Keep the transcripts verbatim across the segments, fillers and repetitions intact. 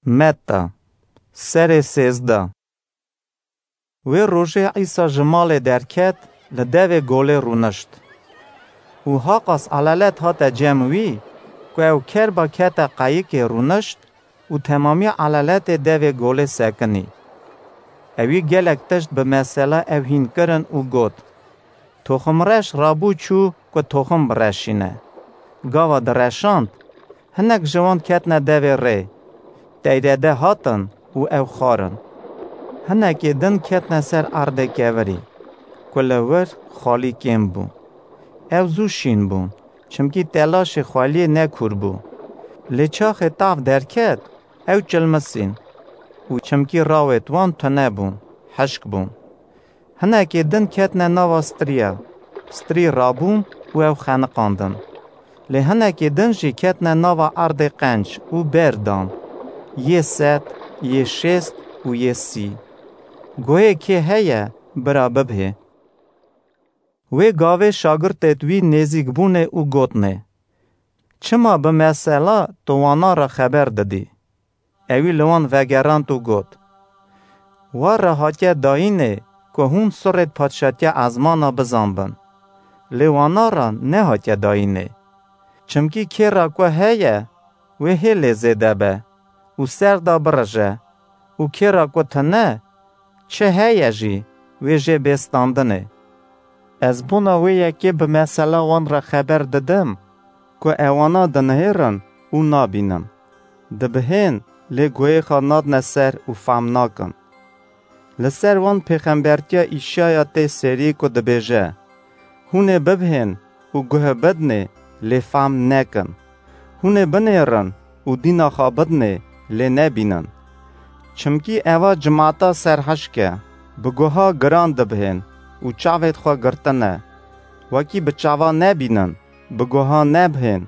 Metta, serê sêzdeh. Wê rojê Îsa ji malê derket, li devê golê rûnişt. Û haqas elelet hate cem wî, ku ew kerba kete qeyikê rûnişt û temamî eleletê devê golê sekinî. Ewî gelek tişt bi mesela ew hîn kirin û got: Toximreş rabû çû ku toxim bireşîne. Gava direşand, hinek ji wan ketine devê rê. Teyrede hatin û ew xwarin. Hinekê din ketine ser erdê kevirî, ku li wir xalî kêm bû. Ew zû şîn bûn, çimkî telaşê xweliyê ne kûr bû. Lê çaxê tav derket, ew çilmisîn û çimkî rawêt wan tune bûn, hişk bûn. Hinekê din ketine nava striya, strî rabûn û ew xeniqandin. Lê hinekê din jî ketine nava erdê qenc û ber dan, yê sed, yê şêst û yê sî. Guhê kê heye, bira bibhê. Wê gavê şagirtêt wî nêzîk bûnê û gotnê: Çima bi mesela tu wana re xeber didî? Ewî li wan vegerand û got: Wa re hatiye dayînê ku hûn sirêt padşatiya ezmana bizanbin. Lê wana re nehatiye dayînê. Çimkî kê re ku heye, wê hê lê zêde be û ser de birije û kê re ku tune, çi heye jî, wê jê bê standinê. Ez bona wê yekê bi mesela wan re xeber didim, ku ewana dinihêrin û nabînin. Dibihên, lê guhê xwe nadine ser û fehm nakin. Li ser wan pêxembertiya Îşaya tê serî ku dibêje: Hûn ê bibihên û guhe bidinê, lê fehm nekin. Hûn ê binêrin û dîna xwe bidinê, lê nebînin. Çimkî eva cimata serhişk e, bi guha giran dibihên û çavêt xwe girtine. Wekî bi çava nebînin, bi guha nebihên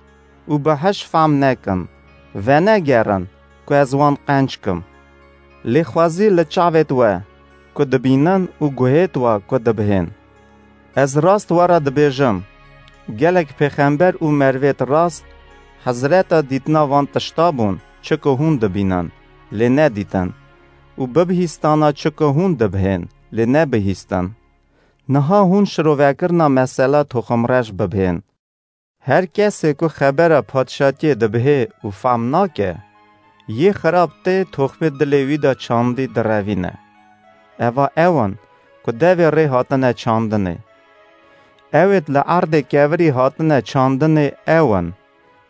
û bi hiş fehm nekin, venegerin ku ez wan qenc kim. Lê xwezî li çavêt we ku dibînin û guhêt we ku dibihên. Ez rast we re dibêjim, gelek pêxember û merivêt rast hezreta dîtina van tişta bûn, çi ku hûn dibînin, lê nedîtin, û bibihîstana çi ku hûn dibihên, lê nebihîstin. Niha hûn şirovekirina mesela toximreş bibihên. Her kesê ku xebera padşatiyê dibihê û fehm nake, yê xirab tê toxmê dilê wî de çandî direvîne. Eva ew in ku devê rê hatine çandinê. Ewêt li erdê kevirî hatine çandinê ew in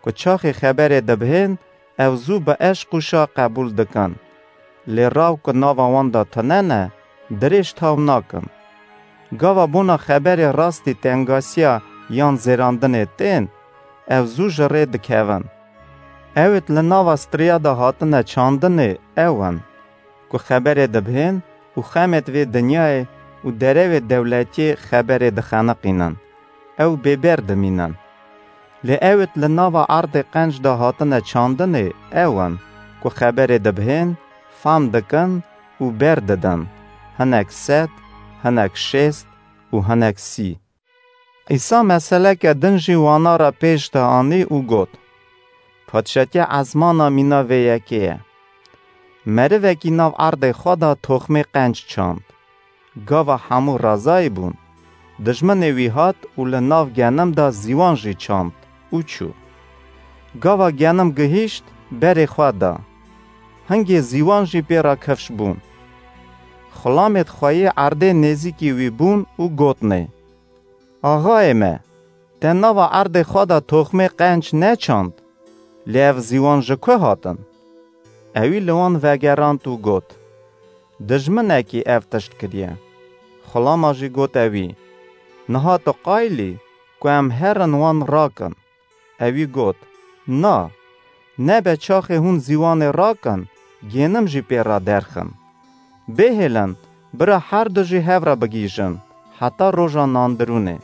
ku çaxê xeberê dibihên, ew zû bi eşq û şa qebûl dikin. Lê raw ku nava wan de tune ne, dirêj taw nakin. Gava bona xeberê rastî tengasiya yan zêrandinê tên, ew zû ji rê dikevin. Ewêt li nava striya de hatine çandinê ew in ku xeberê dibihên û xemêt vê dinyayê û derewê dewletiyê xeberê dixeniqînin, ew bêber dimînin. Lê ewêt li nava erdê qenc de hatine çandinê ew in ku xeberê dibihên, fam dikin û ber didin, hinek sed, hinek şêst û hinek sî. Îsa meseleke din jî wana re pêş de anî û got: Padşatiya ezmana mîna vê yekê ye. Merivekî nav erdê xwe de toxmê qenc çand. Gava hemû razayî bûn, dijminê wî hat û li nav genim de zîwan jî çand û çû. Gava genim gihîşt, berê xwe da. Hingê zîwan jî pê re kifş bûn. Xulamêt xwe yê erdê nêzîkî wî bûn û gotnê: Axayê me, te nava erdê xwe de toxmê qenc neçand, lê ev zîwan ji ku hatin? Ewî li wan vegerand û got: Dijminekî ev tişt kiriye. Xulama jî gote wî: Niha tu qayilî ku em herin wan rakin? Ewî got: Na, nebe çaxê hûn zîwanê rakin, gênim jî pê re derxin. Bêhêlin, bira her du jî hev re bigihîjin, heta roja nandirûnê.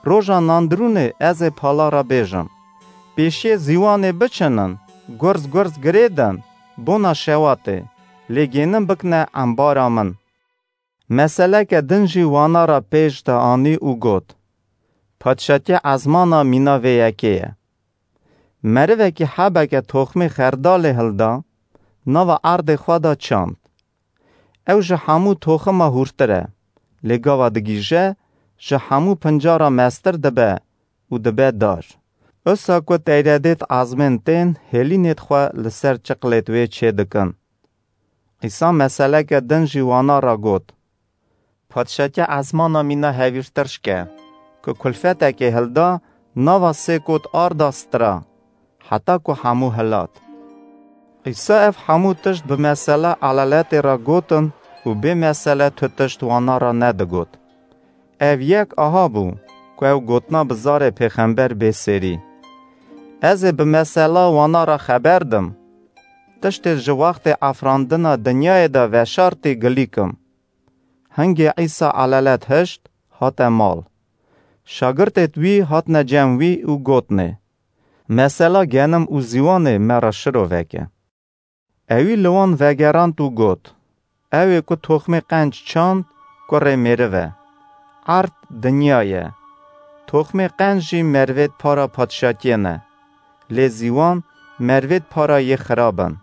Roja nandirûnê ez ê pala re bêjim: Pêşiyê zîwanê biçinin, gurz gurz girêdin, bona şewatê, lê gênim bikine embara min. Meseleke din jî wana re pêş de anî û got: Padşatiya ezmana mîna vê yekê ye. Merivekî hebeke toxmê xerdalê hilda, nava erdê xwe de çand. Ew ji hemû toxima hûrtir e, lê gava digihîje, ji hemû pincara mestir dibe û dibe dar. Usa ku teyredêt ezmên tên hêlînêt xwe li ser çiqlêt wê çê dikin. Îsa meseleke din jî wana re got, Padşatiya ezmana mîna hevîr tirşk e, ku kulfetekê hilda, nava sê kot arda stira, heta ku hemû hilat. Îsa ev hemû tişt bi mesela elaletê re gotin û bê mesele tu tişt wana re nedigot. Ev yek aha bû ku ew gotina bi zarê pêxember bê sêrî. Ez ê bi mesela wana re xeber dim. Tiştê ji wextê afirandina dinyayê de veşartî gilî kim. Hingê Îsa elalet hişt, hate mal. Şagirtêt wî hatine cem wî û gotnê, Mesela genim û zîwanê me re şiroveke. Ewî li wan vegerand û got, Ew ê ku toxmê qenc çand, kurê mêriv e. Erd dinya ye. Toxmê qenc jî mervêt para padşatiyê ne. Lê zîwan mervêt para yê xirab in.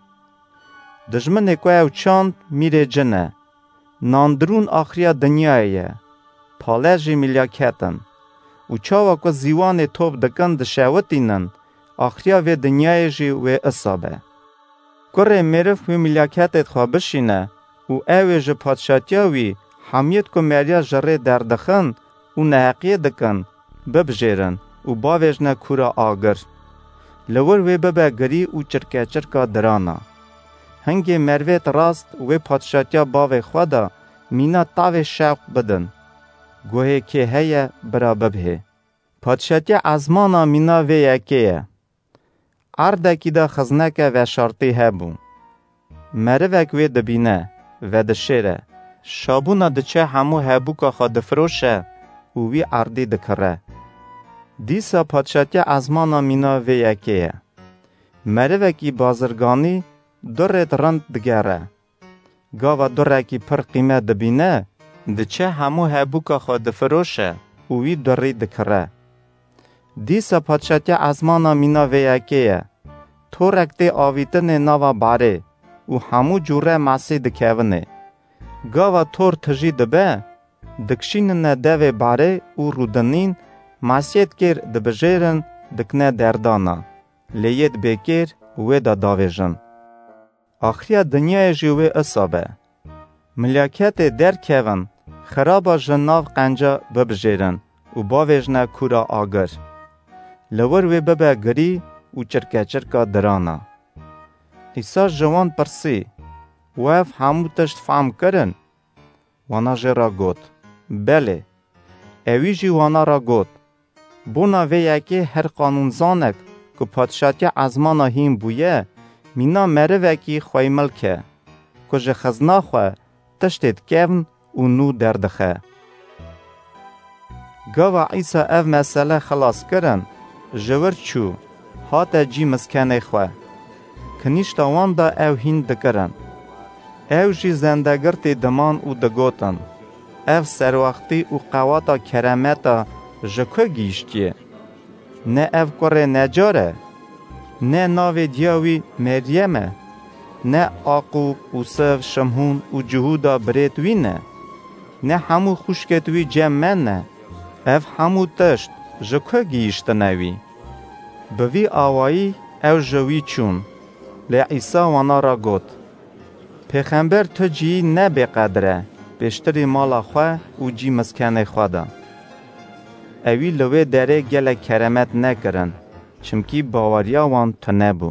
Dijminê ku ew çand mîrê cin e. Nandirûn axiriya dinyayê ye. Pale jî milyaket in. Û çawa ku zîwanê top dikin dişewitînin, axiriya vê dinyayê jî wê isa be. Kurê mêriv wê milyaketêt xwe bişîne û ew ê ji padşatiya wî hemiyêt ku meriya ji rê derdixin û neheqiyê dikin, bibijêrin û bavêjne kûra agir. Li wir wê bibe girî û çirkeçirka dirana. Hingê mervêt rast wê padşatiya bavê xwe de mîna tavê şewq bidin. Guhê kê heye bira bibhê. Padşatiya ezmana mîna vê yekê ye. Erdekî de xizneke veşartî hebû. Merivek wê dibîne, vedişêre. Şabûna diçe hemû hebûka xwe difiroşe û wî erdî dikire. Dîsa padşatiya ezmana mîna vê yekê ye. Merivekî bazirganî durêt rind digere. Gava durekî pir qîmet dibîne, diçe hemû hebûka xwe difiroşe û wî durî dikire. Dîsa padşatiya ezmana mîna vê yekê ye. Torek tê avîtinê nava barê û hemû cûre masî dikevine. Gava tor tijî dibe, dikşînine devê barê û rûdinîn masiyêt kêr dibijêrin, dikine derdana, lê yêt bêkêr wê de davêjin. Axiriya dinyayê jî wê isa be. Milyaketê derkevin, xiraba ji nav qenca bibijêrin û bavêjne kûra agir. Li wir wê bibe girî û çirkeçirka dirana. Îsa ji wan pirsî, We ev hemû tişt fehm kirin? Wana jê re got, Belê. Ewî jî wana re got, Bona vê yekê her qanûnzanek ku padşatiya ezmana hîn bûye, mîna merivekî xweymilk e, ku ji xizna xwe tiştêt kevn û nû derdixe. Gava Îsa ev mesele xilas kirin, ji wir çû, hate cî miskenê xwe. Kinîşta wan de ew hîn dikirin. Ew jî zendegirtî diman û digotin, Ev serwextî û qewata keremeta ji ku gihîştiye? Ne ev kurê necar e? Ne navê diya wî Meryem e? Ne Aqûb, Ûsiv, Şimhûn û Cihûda birêt wî ne? Ne hemû xwişkêt wî cem me ne? Ev hemû tişt ji ku gihîştine wî? Bi vî awayî ew ji wî çûn. Lê Îsa wana re got, Pêxember tu cihî ne bêqedir e, pêştirî mala xwe û cî miskenê xwe de. Ewî li wê derê gelek keremet nekirin, çimkî baweriya wan tune bû.